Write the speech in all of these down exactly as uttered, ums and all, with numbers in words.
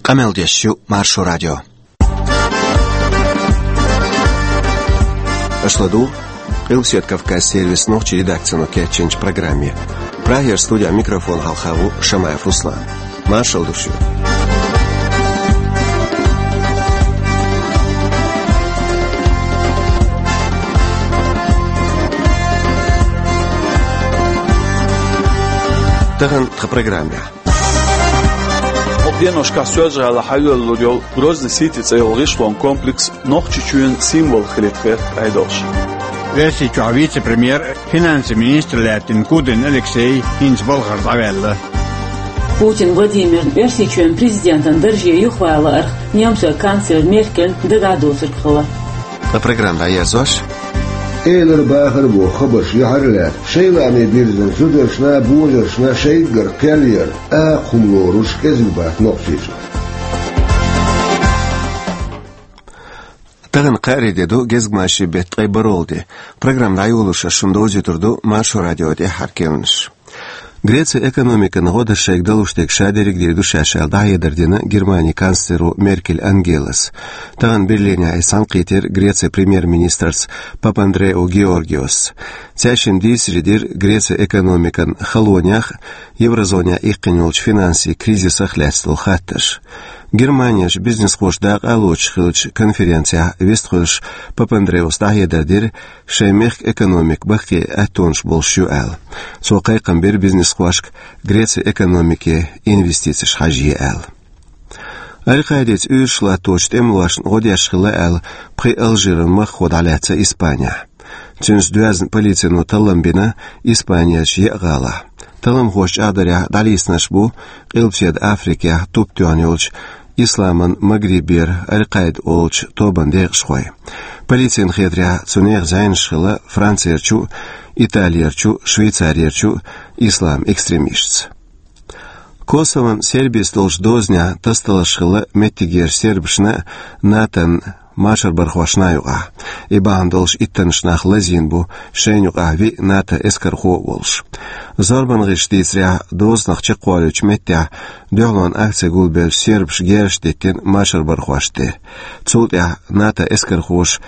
Къамел деш ю Маршо радио. Аша ладугӀу Къилбаседа Кавказ сервисан нохчийн редакцино кечйинчу программе. Прагера студин микрофона хьалха ву Шамаев Руслан. Маршалла ду шуьга. Тахана тхан программехь. Кху деношкахь Соьлжа-ГӀалахь хьайоьллур йолу Грозный Сити цӀе йолу гӀишлон комплекс Нохчийчоьнан символ хилийта гӀерта Ӏедалша. Оьрсийчохь вице-премьер, финансийн министр лаьттина Кудрин Алексей хӀинца балхара дӀаваьлла. Путин Владимирна Оьрсийчоьнан президентан дарже юхавала арахь немцойн канцлер Меркельна дагахь доцург хилла. Ткъа программа дӀаерзош, элар-бахар боху хабарш юьхьарлаьцна, шайн лааме бирзина зударшна а, божаршна а шайггара кхел яр, акха хӀума лоруш кӀезиг бац Нохчийчохь. Тахана кхаарин де ду, гезгмашин беттан ткъе бархӀалгӀа де. Программа дӀайолош ас шуна довзуьйтур ду Маршо радион тӀаьххьара керланаш. Грецин экономикана гӀо дан шайга далуш дерг ша дерриг а дийр ду шаьш аьлла, дӀахьедар дина Германин канцлеро Меркель Ангелас. Тахана Берлинехь иза схьанакхийтира Грецин премьер-министрца Папандреу Георгиосца. Цаьршинна дийцаре дира Грецин экономикан халонех а, еврозонехь иккхина йолчу финансийн кризисах а лаьцна долу хаттарш. Германерчу бизнесхоша дакъа а лоцуш хиллачу конференцехь вистхуьлуш, Папандреус дӀахьедар дира, шайн мехкан экономика баккхий аьттонаш болуш ю аьлла. Цо кхайкхам бира бизнесхошка Грецин экономике инвестицеш хьажае аьлла. Аль-Къаидица уьйраш латточу тӀемалошна гӀо деш хилла аьлла, пхи Алжиран маххо дӀалаьцна Испанехь. Цуьнца доьзна полицино таллам бина Испанерчу еа гӀалахь. Талламхоша чӀагӀдарехь, дӀалецнарш бу Къилбаседа Африкехь туп тоьхна йолчу Исламан Магрибера Аль-Къаида олучу тобанан декъашхой. Полицина хетарехь, цу нехан зӀенаш хилла Францерчу а, Италерчу а, Швейцарерчу а ислам-экстремисташца. Косовон Сербица долчу дозанехь тасадаларш хилла меттигерчу сербашна а, НАТОн машарбархошна а юкъахь. И бахьана долуш иттаннаш нах лазийна бу, шайна юкъахь виъ НАТОн эскархо а волуш. Зорбанан гӀирсаша дийцарехь, дозанах чекхволуьйтучу меттехь дуьхьалонан акци гулбеллачу сербаша герзаш диттина машарбархошна тӀе. Цул тӀаьхьа НАТОн эскархоша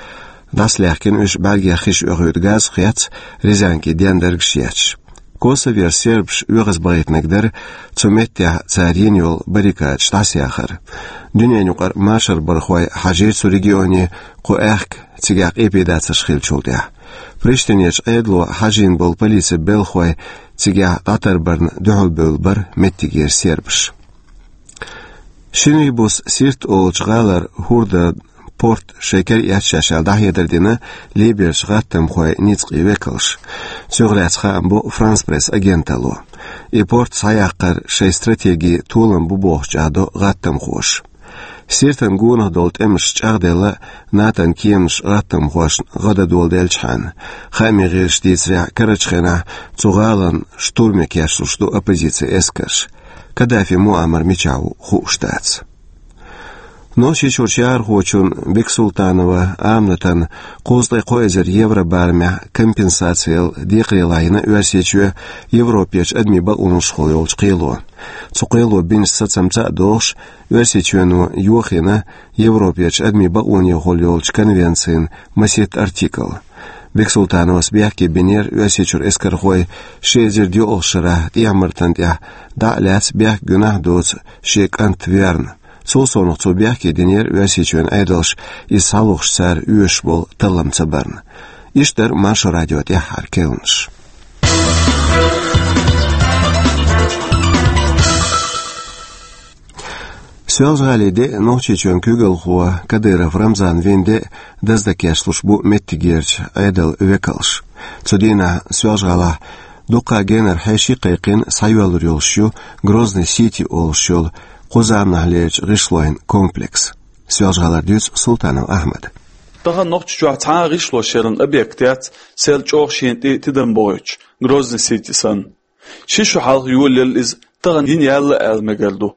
дӀасалаьхкина уьш, бӀаьргех хиш оьхуьйту газ а хецна, резинкин дендаргаш а етташ. Косоверчу сербаша оьгӀазбахийтинарг дара цу меттехь цара йина йолу баррикадаш дӀасаяхар. Дуьненаюкъара машарбархой хьажийра цу регионе кху аьхка, цигахь къепедацарш хиллачул тӀаьхьа. Приштинерчу Ӏедало хьажийна болу полицин белхахой цигахь дӀатарбарна дуьхьалбевлла бара меттигера сербаш. Шин Бус Сирт олучу гӀалара хӀордан порт шайн кара эцна шаьш аьлла, дӀахьедар дина Ливерчу гӀаттамхойн ницкъийн векалша. Цунах лаьцна хаам бо Франс Пресс агенталло. И порт схьаяккхар шайн стратеги толам бу бохуш чӀагӀдо гӀаттамхоша. Сиртана гонах долу тӀемаш чӀагӀделла НАТОн кеманаш гӀаттамхошна гӀаддоладелчхьана. Хаамийн гӀирсаша дийцарехь, карарчу хенахь цу гӀалин штурме кечлуш ду оппозицин эскарш. Каддафи Муаммар мичахь ву хууш дац. Нохчийчуьрчу яхархочун Бексултанова Аминатан кхузткъе кхо эзар евро барамехь компенсацияла декхарийлахь йина Оьрсийчоь Европерчу адамийн бакъонашхула йолчу кхело. Цу кхело бинчу сацамца а догӀуш, Оьрсийчоьно йохийна Европерчу адамийн бакъонехула йолчу конвенцин масийтта артикл. Бексултановас бехке бинера Оьрсийчуьра эскархой ши эзар доьалгӀачу шарахь ТӀехьа-Мартан тӀехь дӀа а лаьцна бехк-гуьнахь а доцу шен кӀант верна. Цул совнаха цо бехке динера Оьрсийчоьнан Ӏедалша иза схьалохуш цара оьшуш болу таллам ца барна. Иштта дара Маршо радион тӀаьххьара керланаш. Соьлжа-ГӀалин де а, Нохчийчоьнан куьйгалхо Кадыров Рамзан вина де а даздан кечлуш бу меттигерчу Ӏедалан векалш. Цу дийнахь Соьлжа-ГӀалахь дуккха а генара хьеший кхайкхина схьайоьллур йолуш ю Грозный Сити олуш йолу кху заманахьлерчу гӀишлойн комплекс. Соьлжа-ГӀалара дуьйцу Султанов Ахьмада. Тахана Нохчийчохь цхьа а гӀишлошъяран объект яц, сел чӀогӀа шена тӀе тидам бохуьйтуш, Грозный Сити санна. Ши шо хьалха йолаелла иза, тахана йина яьлла аьлла мегар ду.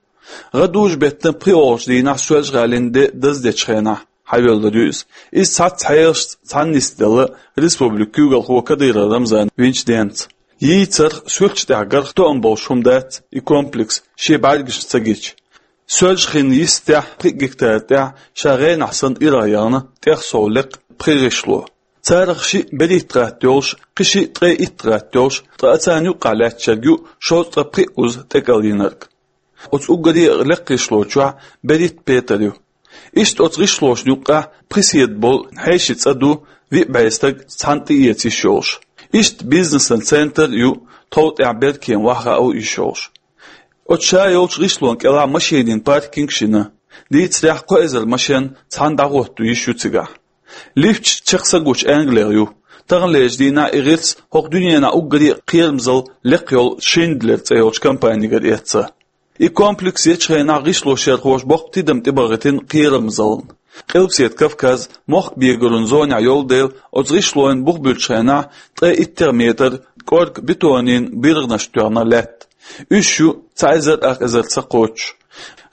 ГӀадужу-беттан пхоьалгӀачу дийнахь Соьлжа-ГӀалин де даздечу хенахь хьайоьллур ю иза. Иза цхьацца хьелашца цхьаьна нисделла республикан куьйгалхо Кадыров Рамзан винчу денца. Йийцарх, суьрташ тӀехь гарх тоам болуш хӀума дац и комплекс шен бӀаьргашна ца гича. Соьлжа-Хинна йистехь пхи гектар тӀехь ша гӀенахь санна ирахь яхна тӀех сов лекха пхи гӀишло. Царах шиъ берхӀитта гӀатта йолуш, кхин шиъ ткъе итт гӀатта йолуш, ткъа царна юккъехь лаьтташ ерг ю шовзткъа пхи уза тӀекӀел йинарг. Оцу уггаре а лекха гӀишло чохь берхӀитта петар ю. Иштта оцу гӀишлошна юккъехь пхи седа болу хьешийн цӀа ду, виъ бӀе стаг цхьаьна тӀеэца йиш йолуш. Иштта бизнесан центр а ю, тхов тӀехь беркема охьахаа йиш йолуш. Оцу ша йолчу гӀишлонна кӀелахь машенийн паркинг шина. Дийцарехь, кхо эзар машен цхьаьна дӀахӀотто йиш ю цигахь. Лифташ чекх са гучу Англех ю. Таханлерчу дийнахь и гӀирс хӀокху дуьненахь уггаре а кхерамзалла лекха йолу Шиндлер цӀе йолчу компанигара эцна. И комплекс ечу хенахь гӀишлошъярхоша боккха тидам тӀебахийтина кхерамзаллина. Къилбаседа Кавказ мохк-бегоран зонехь йолу дела, оцу гӀишлойн бух буьллучу хенахь ткъе иттех метр кӀорга бетонийн биргӀанаш тоьхна лаьтта. Уьш ю цхьа эзар ах эзар ца кхоччуш.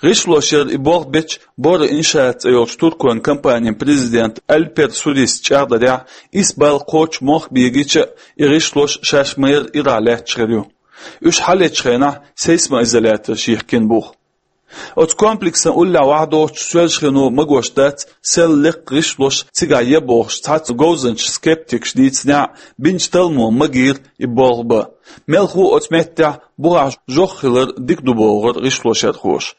ГӀишлошъяран и болх бечу Бора Иншаат цӀе йолчу туркойн компанин президента Альпер Сурис чӀагӀдарехь, исс балла кхоччуш мохк бегийча а, и гӀишлош шаьш ма-ярра ирахь лаьтташ хир ю. Уьш хьалечу хенахь сейсмоизоляторш йихкина бух. Оцу комплексан уллехь охьадоцучу Соьлжа-Хино магош дац, сел лекха гӀишлош цигахь я бохуш цхьацца говзанчаша, скептикаша дийцинехь а, бинчу талламо магийра и болх бан. Мелхо а оцу меттехь бухахь жох хилар дика ду бохура гӀишлошъярхоша.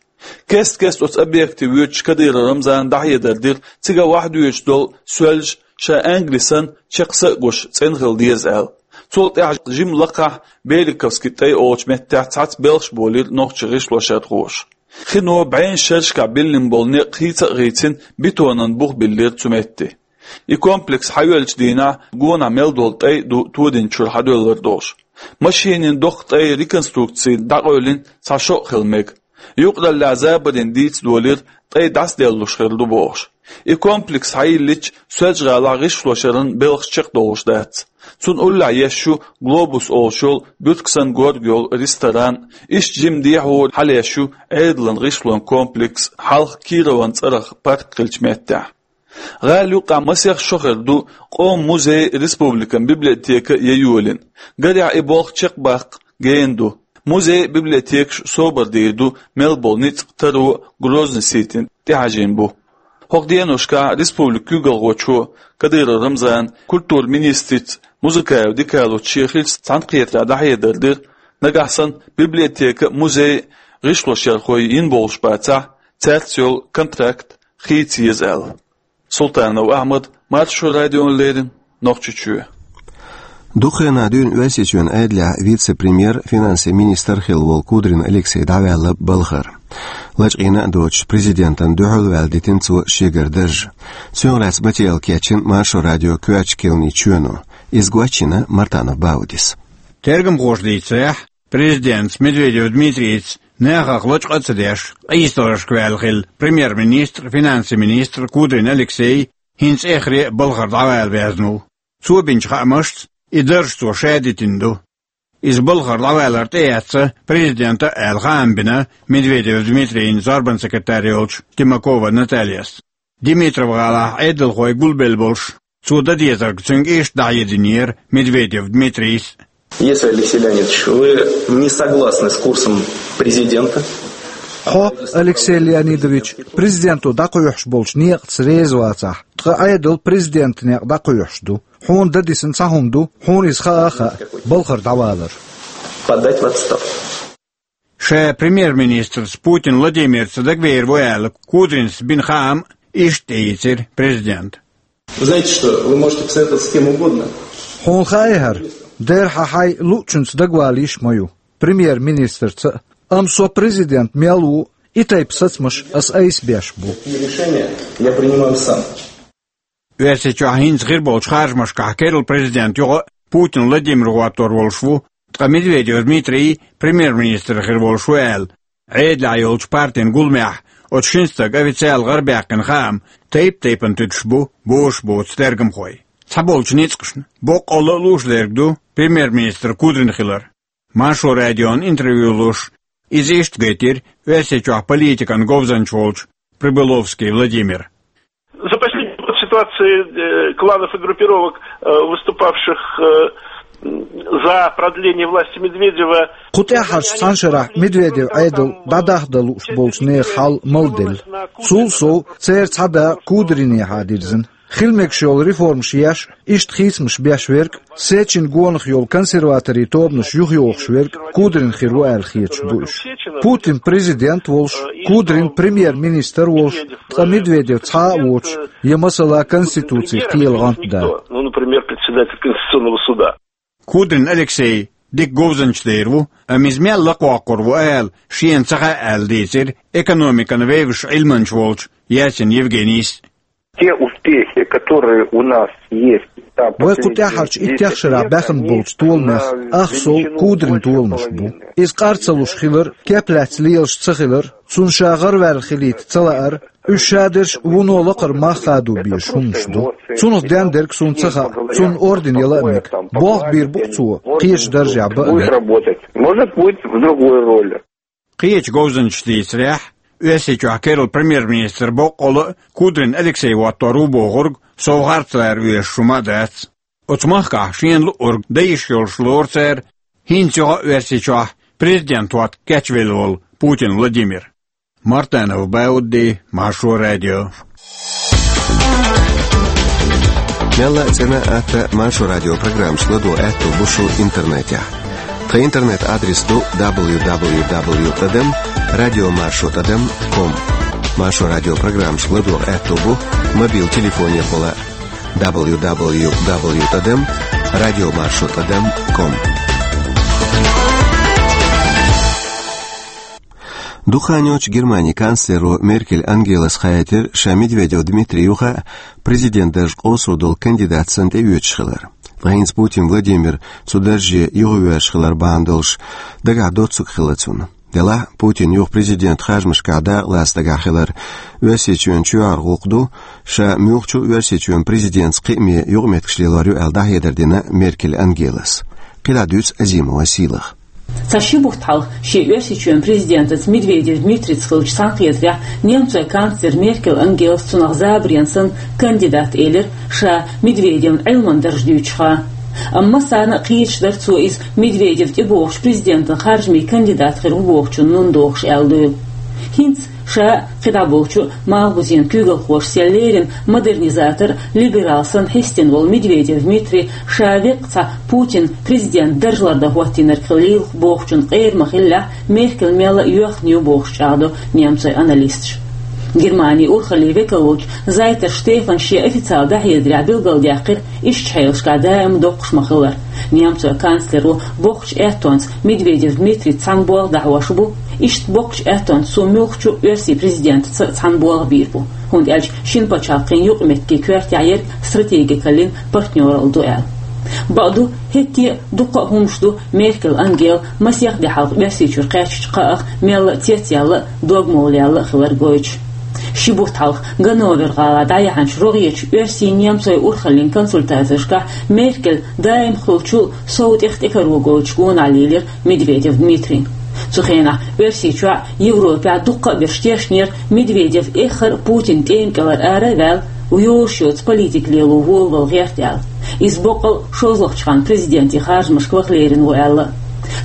Кест-кеста оцу объекте воьдучу Кадыров Рамзана дӀахьедар дира, цигахь охьадоьдуш долу Соьлжа ша Англи санна чекх са а гуш цӀена хила деза аьлла. Цул тӀаьхьа жимма лакхахь Беликовский тӀай олучу меттехь цхьацца белхаш болийра нохчийн гӀишлошъярхоша. Хино бӀеннаш шерашкахь биллина болу некъ хийца а хийцина, бетонан бух биллира цу метте. И комплекс хьайоьллучу дийнахь гонах мел долу тӀай а ду тодинчуьра хьадоьллар долуш. Машенийн доккха тӀай реконструкци дӀакъевлина цхьа шо а хила мега. Юкъараллехь забарийн дийца долийра, тӀай дӀасаделлалуш хир ду бохуш. И комплекс хьайиллича, Соьлжа-ГӀалахь гӀишлошъяран белхаш чекхдолуш дац. Цунна уллехь еш ю Глобус олуш йолу буьртиг санна горга йолу ресторан, иштта жимма дехьо хьалаеш ю Ӏедалан гӀишлойн комплекс хьалха Кирован цӀарах парк хиллачу меттехь. ГӀала юккъехь масех шо хир ду къоман музей, республикан библиотека я йолийна. Гарехь, и болх чекхбаккха гена ду. Музей а, библиотекаш а собар дийр ду мел болу ницкъ, таро Грозный-Ситин тӀехьажийна бу. ХӀокху деношкахь республикан куьйгалхочо Кадыров Рамзана, культуран министрица Музыкаева Дикалуца шен хиллачу цхьаьнакхетарехь дӀахьедар дира, нагахь санна библиотека а, музей а гӀишлошъярхой йина болуш бацахь, цаьрца йолу контракт хийца еза аьлла. Султанов Ахьмад, Маршо радиона леррина, Нохчийчоь. Дукха хенахь дуьйна Оьрсийчоьнан Ӏедалехь вице-премьер, финансийн министр хилла волу Кудрин Алексей дӀаваьлла балхара. Лачкъийна а доцуш, президентана дуьхьал ваьлла дитина цо шегара дарж. Цунах лаьцна материал кечйина Маршо радион коьртачу керланийн чоьно. Иза гочйина Мартанов Баудис. Тергамхоша дийцарехь, президентаца Медведев Дмитрийца нахах лачкъа а ца деш, къийсаларшка ваьлла хилла премьер-министр, финансийн министр Кудрин Алексей хӀинца эххар а балхара дӀавала везна ву. Цо бинчу хаамашца, и дарж цо ша дитина ду. Иза балхара дӀавалар тӀеэцна президента а аьлла хаам бина Медведев Дмитрийна зорбанан секретарь йолчу Тимакова Натальяс. Димитров-гӀалахь Ӏедалхой гулбелла болуш, цо дан дезарг цуьнга иштта дӀахьединера Медведев Дмитрийс. Если Алексей Леонидович, вы не согласны с курсом президента, Хьо, Алексей Леонидович, президенто дӀакхоьхьуш болчу некъаца реза вацахь, ткъа Ӏедал президентан некъа дӀакхоьхьуш ду. Хьуна дан дисина цхьа хӀума ду, хьуна иза хаа а хаьа, балхара дӀавалар. Подать в отставку. Ша премьер-министрца Путин Владимирца дагавер ву аьлла, Кудринс бина хаам иштта тӀеийцира президента. Вы знаете, что вы можете посоветоваться с кем угодно. Хьуна хаьа хӀара, дера хьан хьайн луучуьнца дагавала йиш ма ю, премьер-министрца а. Амма со президент мел ву, и тайпа сацамаш ас айса беш бу. И решение я принимаю сам. Оьрсийчохь хӀинца хир болчу харжамашкахь керла президент юкъа Путин Владимир гӀоттор волуш ву, ткъа Медведев Дмитрий премьер-министр хир волуш ву аьлла, Ӏедалехь йолчу партин гуламехь оцу шина стага официал гӀарабаьккхина хаам тайп-тайпана туьдуш бу, бозуш боцу тергамхой. Цхьаболчу ницкъашна боккъалла а лууш дерг ду премьер-министр Кудрин хилар. Маршо радиона интервью луш, иза иштта гайтира Оьрсийчохь политикан говзанча волчу Прибыловский Владимира. За последний год ситуация э, кланов и группировок, э, выступавших э, За продление власти Медведева. Кху тӀаьхьарчу цхьана шарахь Медведев Ӏедал дӀадахьа дан лууш болчу нехан хьал малделла. Цул сов, церан цхьа дакъа Кудринехьа дирзина. Хила мегаш йолу реформаш еш, иштта хийцамаш беш верг, Сечин гонах йолу консерваторийн тобанаш юхайохуш верг Кудрин хир ву аьлла хеташ бу уьш. Путин президент волуш, Кудрин премьер-министр волуш, ткъа Медведев цхьа а воцуш, я, масала, Конституцих кхел гӀантда. Ну, например, председатель Конституционного суда. Кудрин Алексей дика говзанча дер ву, амма иза мел лакхавоккхур ву ала, шена ца хаьа аьлла дийцира экономикан вевзаш Ӏилманча волчу Ясин Евгенийс. Те успехи, которые у нас есть за последние десять лет, они на уровне Кудрина. Вай кху тӀаьхьарчу иттех шарахь баьхна болчу толамех ах сов Кудрин толамаш бу. Иза къар ца луш хилар, кеп лаьцна лелаш ца хилар, цунна ша гӀараваьлла хилийта ца лаар, уьш шадерш вуно лакхара мах хадо безаш хӀуманаш ду. Цунах дендерг суна ца хаьа, цунна орден яла а мега. Болх бийр бу-кх цо, кхечу даржехь бан а мега. Будет работать. Может быть, в другой роли. Кхечу говзанчаша дийцарехь, Оьрсийчохь керла премьер-министр боккъала а Кудрин Алексей хӀоттор ву бохург сов харцлара везаш хӀума а дац. Оцу махкахь шена луург дан йиш йолуш лору цара хӀинца юха а Оьрсийчохь президент хӀотта кечвелла волу Путин Владимир. Мартанов Баудди, Маршо радио. Мелла а цӀена а, атта а Маршо радио программаш ладогӀа аьтто бу шун интернетехь. Тхан интернет-адрес ду дабл ю дабл ю дабл ю тӀадам радио маршо тӀадам ком. Маршо радио программаш ладогӀа аьтто бу мобил телефонехула дабл ю дабл ю дабл ю тӀадам радио маршо тӀадам ком. Дукха хан йоццуш Германин канцлеро Меркель Ангелас хаийтира ша Медведев Дмитрий юха а президент дарж къовсур долу кандидат санна тӀеоьцуш хилар. Ткъа хӀинца Путин Владимир цу дарже юхавоьрзуш хилар бахьана долуш дагахь доцург хилла цунна. Делахь а Путин юха президент харжамашкахь дакъалаца дагахь хилар Оьрсийчоьнан чоьхьара гӀуллакх ду, ша муьлххачу а Оьрсийчоьнан президентца кхиаме юкъаметтигаш лелор ю аьлла дӀахьедар дина Меркель Ангелас. КхидӀа дуьйцу Азимова Сийлаха. Цхьа ши бутт хьалха шен Оьрсийчоьнан президентаца Медведев Дмитрийца хиллачу цхьаьнакхетарехь немцойн канцлера Меркель Ангелас цунах забаренна санна кандидат элира, ша Медведевна Ӏилманан дарж дуьйцуш хан. Амма массарна а кхеташ дара цо иза Медведев тӀебогӀучу президентан харжамийн кандидат хир ву бохучунна нун дохуш аьлла дуйла. ХӀинца ша а, кхидӀа болчу а малхбузен куьйгалхоша сел леррина модернизатор, либерал санна хьестина волу Медведев Дмитрий ша веккъа цхьа Путин президент дарж лардан хӀоттийнарг хилла лелаш бохучун къера ма-хиллехь, Меркель мелла а йоьхна ю бохуш чӀагӀдо немцойн аналисташа. Германин урхаллин векал волчу Зайтер Штефана шен официалан дӀахьедарехь билгалдаьккхира, иштачу хьелашкахь даима доккхуш ма-хиллара. Немцойн канцлеро боккхачу аьттонца Медведев Дмитрийца цхьаьна болх дӀахьош бу, иштта боккхачу аьттонца цо муьлххачу а оьрсийн президентаца цхьаьна болх бийр бу, хӀунда аьлча шина пачхьалкхийн юкъаметтигийн коьртехь ерг стратегикаллин партнёралла ду аьлла. Бакъду, хӀетте а дуккха а хӀуманаш ду Меркель Ангела масех де хьалха Оьрсийчуьра кхаьчначу кхаъах мелла а цецъяьлла а, догмалла яьлла а хилар гойтуш. Ши бутт хьалха Ганновер-гӀалахь дӀаяьхьначу рогӀерчу оьрсийн-немцойн урхаллин консультацешкахь Меркель даима хуьлучул сов тӀех тӀекаро гойтуш гонах лелира Медведев Дмитрийна. Цу хенахь Оьрсийчохь а, Европехь а дуккха а берш тешнера Медведев эххар а Путинан тӀеман кӀелара ара а ваьлла, йолуш йоцу политика лело волавала гӀерта аьлла. Иза боккъал а шозлагӀчу ханна президентийн харжамашка ваха лерина ву аьлла.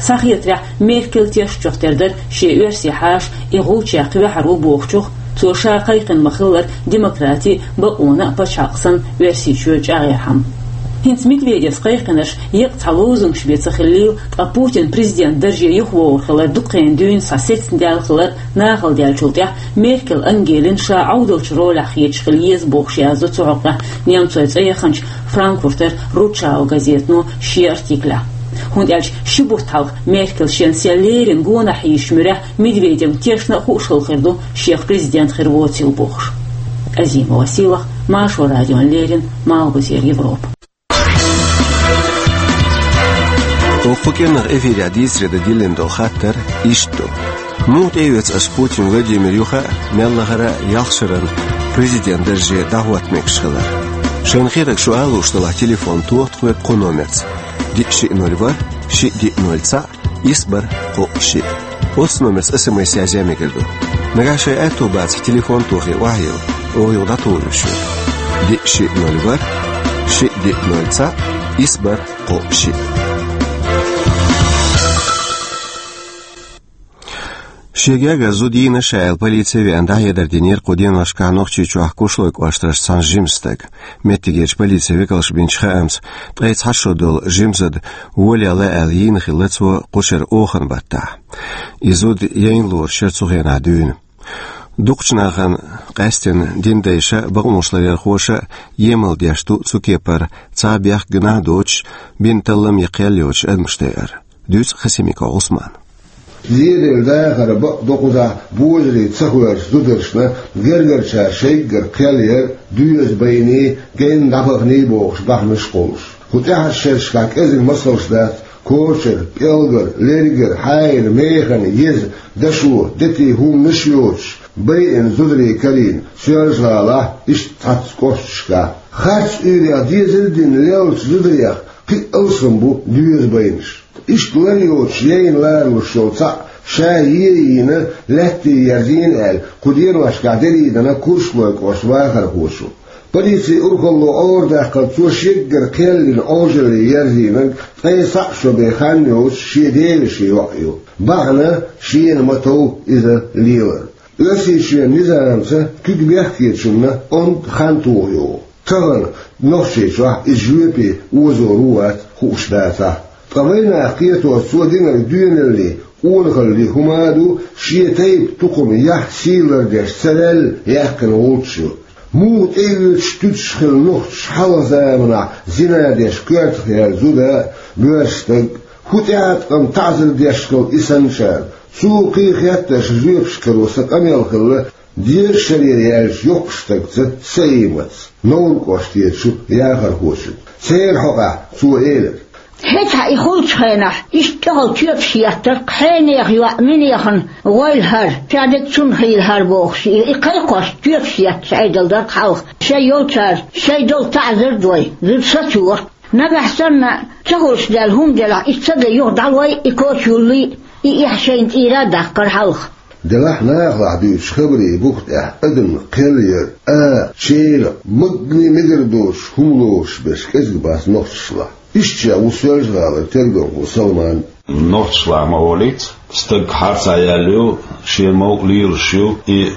Схьахетарехь, Меркель тешначух тера дара шен оьрсийн хьаша и гӀулч яккха ваьхьар ву бохучух, цо ша кхайкхина ма-хиллара демократи а, бакъонан а пачхьалкх санна Оьрсийчоь чӀагӀъярхьама. ХӀинца Медведевс кхайкхинарш еккъа цхьа лозунгаш бен ца хиллийла, ткъа Путин президент дарже юхавогӀур хилар дукха хенахь дуьйна схьа сецна даьлла хилар нахала даьллачул тӀаьхьа Меркель Ангелина ша Ӏовдалчу ролехь хеташ хила еза бохуш яздо цу хьокъехь немцойн цӀе яханчу Франкфуртер Рутшау газетано шен артиклехь. ХӀунда аьлча ши бутт хьалха Меркель шен сел леррина гонах хьийзачу муьрехь Медведевна тешна а хууш хилла хир ду, шех президент хир воцийла бохуш. Азимова Сийлаха, Маршо радиона леррина, Малхбузера Европа. Оха кху кӀиранах эфирехь дийцаре дан диллина долу хаттар иштта ду: муха тӀеоьцу аса Путин Владимир юха а, мел лахара а ялх шарна президент дарже дӀахӀотта мегаш хилар? Шайна хетарг шу ала лууш делахь, телефон тоха тхоьга кху номерца: диъ шиъ ноль ворхӀ, шиъ диъ ноль цхьаъ, исс бархӀ кхоъ шиъ. Оцу номерца СМС язъян мегар ду. Нагахь шайн аьтто бацахь, телефон тохий охьайилла, оха юха дӀатухур ю шуьга. Диъ шиъ ноль ворхӀ, Ши диъ ноль цхьаъ, исс бархӀ кхоъ шиъ. Шен гергара зуда йийна ша аьлла, полице веана дӀахьедар динера кху деношкахь Нохчийчохь Кушлой кӀоштарчу цхьана жимачу стага. Меттигерчу полицин векалша бинчу хаамца, ткъе цхьа шо долу жима зуда волаелла аьлла йийна хилла цо кху шеран оханан баттахь. И зуда яйна лоруш яра цу хенахь дуьйна. Дукхачу нахана, къаьсттина дин дайша а, бакъонашларъярхоша а емал деш ду цу кепара, цхьа бехк, гуьнахь доцуш, бина таллам я кхел йоцуш адамаш дайар. Дуьйцу Хасимиков Ӏусмана. Лелийна дахар бакъ доккхузахь божарий ца хоьрзу зударшна, гергарчара шайггара кхел яр, доьза байний, генна дӀабаханий бохуш бахьанаш кхуллуш. Кху тӀаьхьарчу шерашкахь кӀезиг масалш дац: кочар, пӀелгар, лергар, хьаьйра, механа, еза, дашо, дети хӀуманаш а йоцуш, байина зударий карийна Соьлжа-ГӀалахь, иштта цхьацца кӀошташкахь. Харц Ӏуьйрех дезал а дина леллачу зударех кхин а алсам бу доьза байнаш. Иштта лар йоцуш яйна ларалуш йолу цхьаъ ша е а йийна, лаьттий ерзийна аьлла, кху деношкахь дерриг а дина Кушлой кӀоштан вахархочо. Полицин урхалло Ӏорадаккхарца, цо шеггара кхел йина Ӏожалле ерзийнарг ткъе цхьаъ шо бен хан йоцуш шен девешин йоӀ ю. Бахьана шена ма-тов иза лелар. Оьрсийчоьнан низамца куьг бехкечунна онда хан тоха йогӀу. Тахана Нохчийчохь иза жоьпе озор ву-вац хууш дацахь а. Ткъа вайнах кхетош цо динарг доьналлий, къонахаллий хӀума а ду, шен тайпа, тукхам, яхь, сий лардеш ца ваьлла яьккхина волчу. Муха тӀеоьцуш туьтуш хилла нохчаша хьалха заманахь зина деш коьртах яьлла зуда а, боьрша стаг а, хӀун тӀеӀаткъам, таӀзар деш хилла и санначарна? Цо кхин хеттарш жоьпаш каро сан къамел хилла, дезачу шарера яьллачу йоккхачу стагца, Саиматца, Новр кӀоштера яхархочуьнга. Церан хьокъехь цо элира: «ХӀетахь и хуьлучу хенахь, иштта тӀехула тоьпаш еттара, хьенехан йоӀ минехана гӀойла хӀара, ша дерг цунна хийла хӀара бохуш, и, и кхайкхош тоьпаш етташ Ӏедал дара хьалха. Шайн йолчара шайн долу таӀзар а дой, зуда сацайора. Нагахь санна ца хуьлуш даьлла хӀума делахь, и ца де юха дӀалой и коча юллий, и эхь шайна тӀера а даккхара хьалха». Делахь нахалахь дуьйцучу хабарийн буха тӀехь адамна кхел яр, а, чӀогӀа, магане мегар доцуш хӀума лоруш берш кӀезиг бац нохчашлахь. Иштта ша ву Соьлжа-ГӀалара тергамхо Салман. Нохчашлахь ма олийца, стаг харцахь яьлла ю, шен мовкъ лелаш ю, и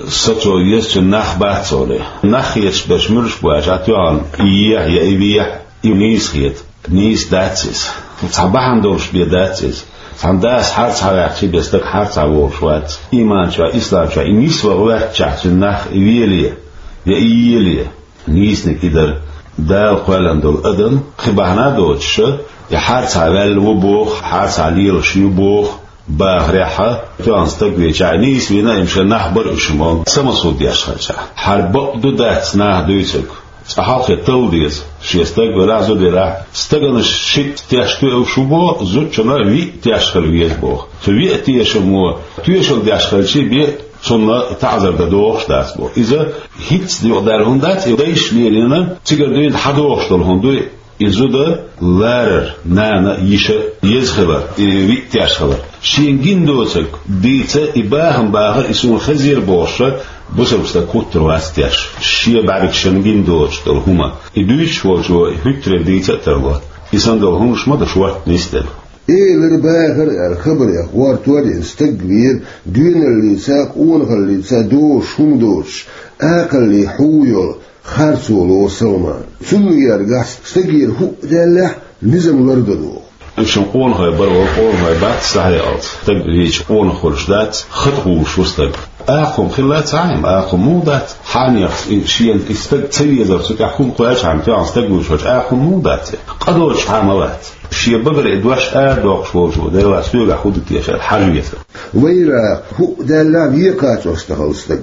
сацо еза цуьнан нах бац олий. Нах хеташ берш муьлш бу аьлча, тоьхна и ехьа я и вехьа, и нийса хета. Нийса дац иза. Цхьа бахьана долуш бен дац иза. Цхьана дас харцахь ваьккхича бен стаг харцахь волуш вац. Ийман чохь, ислам чохь и нисван гӀоьртачохь цуьнан нах и веле, я и еле. Нийсаниг и дара. Дала кхоьллина долу адам, кхин бахьана а доцуш, я харцахь ваьлла ву боху, харцахь лелаш ю боху, бахарехь, тоьхна стаг вийча, нийса вийна, и шайн нах бара уьш ма, самосуд деш хилча. Хьара бакъ ду дац наха дуьйцург. Цкъа хьалхе талла деза, шен стаг велахь, зуда велахь, стаганаш шиъ тешна тоьуш ву боху, зудчунна виъ тешна хила веза боху. Цу виъ тешамо тоьшалла деш хилча бен, цунна таӀзар дан догӀуш дац боху. Иза хӀинцца юкъадаьлла хӀума дац, и дайша лелийна, цигара дуьйна хьадогӀуш долу хӀума дуй, и зуда ларар, нана, йиша еза хилар, и виъ тешна хилар. Шена гина доцург дийца, и бахам бахар, и суна хезира бохуша, бусалба стаг хӀуттур вац тешна. Шен бӀаьргашна гина доцуш долу хӀума. И дуьйцуш волчо хӀуьттарера дийца а тарло. И санна долу хӀуманаш ма ду шортта нисделла. Элира, бахара аьлла, хабарех гӀортор а йина, стаг вийра, доьналлица, къонахаллица догӀуш хӀума доцуш, акхаллин хьу йолу, харцо лору Салман. Цунна гергахь стагера хӀуъа даьллехь, низам лардан догӀу. Шун къонахой бара вара, къонахой бац, сахьаялц. Стаг вийча къонах хуьлуш дац, хатӀа хууш ву стаг. Акха хӀума хилла ца хьайна, акха хӀума муха дац? Хьанехс и шена и стаг ца везар цу тӀехь хӀума кхоьлличхьана, тоьхна стаг вуьйцуш волчу акха хӀума муха дац? Къа доцуш хьан ма вац? Шен багара и дош арадоккхуш волчо, Дела, соьгахь хӀун ду теша аьлла, хьажа веза. Вайра хӀуъа даьлла векхачо стахал стаг.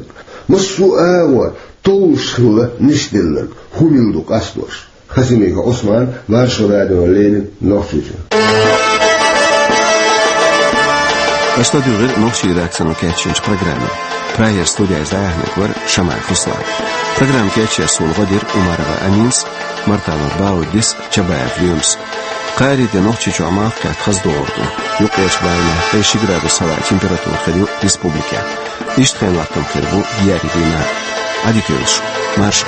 Массо а агӀор товлуш хилла нисделларг, хӀума ду къастош. Хасимиков Ӏусман, Маршо радиона леррина, Нохчийчоь. Аша ладуьйгӀира нохчийн редакцино кечйинчу программе. Прагера студиехь дӀаяьхьнарг вара Шамаев Руслан. Программа кечъеш суна гӀо дира Умарова Аминас, Мартанов Бауддис, Чабаев Лемас. Кхаарин де Нохчийчохь малх кхетта хаза догӀур ду. Юккъерчу баланехь ткъе ши градус хилла температура хир ю республикехь. Иштта хенан латтам хир бу еарин дийнахь. Ӏадика йойла шун. Маршо.